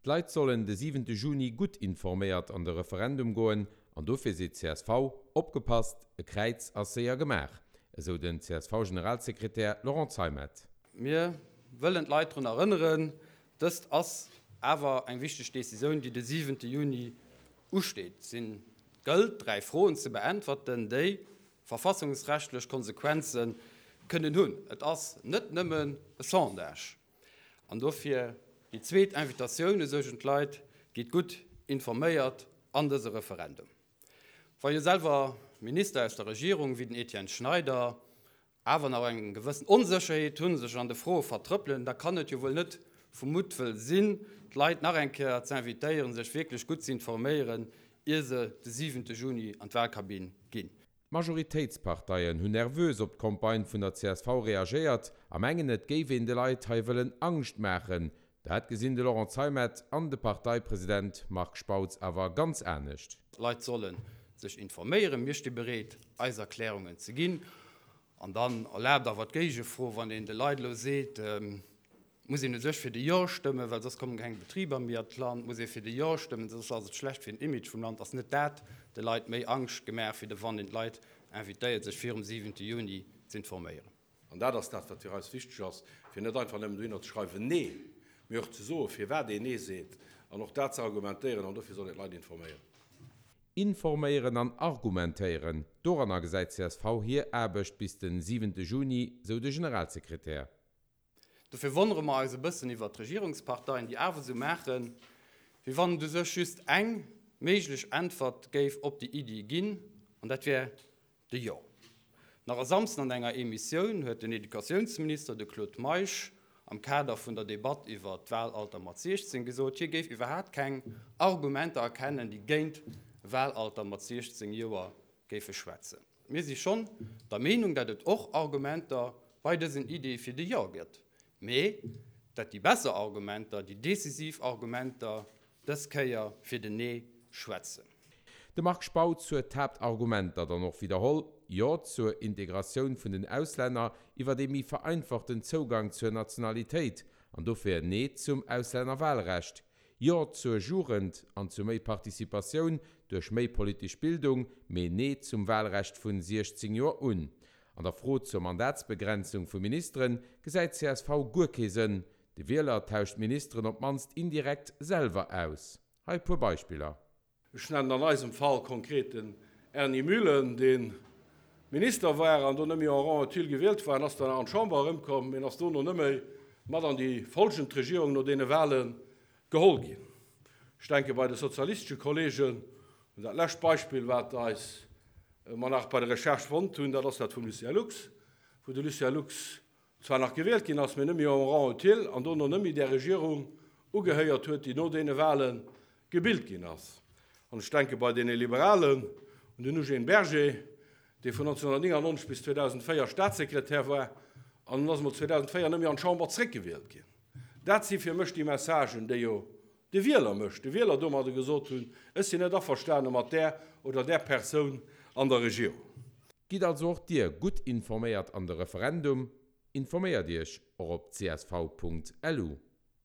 D'Leit sollen de siwente Juni gutt informéiert an de Referendum goen an dofir seet csv, Opgepasst, e Kräiz ass séier gemaach, esou den CSV-Generalsekretär Laurent Zeimet. Mir wëllen d'Leit drun erënneren, dëst ass awer eng wichteg Decisioun, déi de siwente Juni usteet. Et gëllt, 3 Froen ze beäntwerten, déi verfassungsrechtlech Konsequenze kënnen hunn. Et ass net nëmmen e Sondage. An dofir déi zweet Invitatioun u sech un d'Leit, Gitt gutt informéiert an dëse Referendum. Wa jo selwer Minister aus der Regierung wéi den Etienne Schneider awer nach eng gewëssen Onsécherheet hunn, sech an de Froe vertrëppelen, da kann et jo wuel net vu Muttwëll sinn, d'Leit nach eng Kéier ze invitéieren, sech wierklech gutt ze informéieren, ier se de siwente Juni an d'Wahlkabinn ginn. D'Majoritéitsparteien hunn nervös op d'Campagne vun der csv reagéiert a mengen, et géif een de Leit hei wëllen Angscht maachen. Dat gesinn de Laurent Zeimet an de Parteipresident Marc Spautz awer ganz anescht. D'Leit solle sech informéieren. Mir sti bereet, eis Erklärungen ze ginn. An dann erlaabt awer d'Géigefro, wann een de Leit elo seet, muss een u sech fir de Jo stëmmen, well soss kommen keng Betriber méi an d'Land, muss ee fir de Jo stëmmen, soss ass et schlecht fir den Image vum Land, ass net dat de Leit méi Angscht gemaach, wéi de wann een d'Leit invitéiert, sech virum siwente Juni z'informéieren. An dat ass dat, wat fir eis wichteg ass, fir net einfach nëmmen dohinner ze schreiwen Nee, mee och ze soen, firwat een Nee seet an och dat ze argumentéieren. An dofir soll een d'Leit informéieren. Informéieren an argumentéieren, doranner gesäit csv hir Aarbecht bis den siwente Juni, sou de Generalsekretär. Dofir wonnere mer eis e bëssen iwwert d'Regierungsparteien, déi awer esou maachen, wéi wann et u sech just eng méiglech Äntwert géif op déi Iddi ginn, an dat wär de Jo. Nach e Samsden an enger Emissioun huet den Educatiounsminister, de Claude Meisch, am Kader vun der Debatt iwwert d'Wahlalter mat 16 gesot, hie géif iwwerhaapt keng Argumenter erkennen, déi géint e Wahlalter mat 16 Joer géife schwätzen. Mir si schonn der Meenung, dat et och Argumenter bei dësen Iddie fir de Jo gëtt, mee dat déi besser Argumenter, déi decisiv Argumenter dës Kéier fir den Nee schwätzen. De Marc Spautz huet d'Haaptargumenter dann och widderholl, Jo zur Integratioun vun den Auslänner iwwert ee méi vereinfachten Zougang zur Nationalitéit an dofir Nee zum Auslännerwahlrecht, Jo zur Jugend an zu méi Participatioun duerch méi politesch Bildung, mee Nee zum Wahlrecht vun 16 Joer un. An der Fro zur Mandatsbegrenzung vu Ministeren gesäit csv guer kee Sënn. De Wieler tauscht d'Ministeren op d'mannst indirekt selwer aus. Hei e puer Beispiller. Ech nennen an eisem Fall konkret den Erny Mühlen, dee Minister war an do net méi en rang utile gewielt war an ass dann an d'Chamber erëmkomm, mee ass dono net méi mat an déi folgend Regierung no deene Wahle geholl ginn. Ech denke bei de sozialistesche Kollegen un dat lescht Beispill, wat eis mer nach bei der Recherche fonnt hunn, dat ass dat vum Lucien Lux, wou de Lucien Lux zwar nach gewielt ginn ass, mee net méi en rang utile an dono net méi där Regierung ugehéiert huet, déi no deene Wahle gebilt ginn ass. An ech denke bei deene Liberalen un den Eugène Berger, dee vun 1999 bis 2004 Statssekretär war an en ass emol 2004 net méi an d'Chamber zréckgewielt ginn. Dat si fir mech déi Messagen, déi jo de Wieler mécht, de Wieler domadder gesot hunn, ech sinn net averstane mat där oder där Persoun an der Regierung. Gitt also och Dir gutt informéiert an de Referendum. Informéiert Iech och op csv.lu.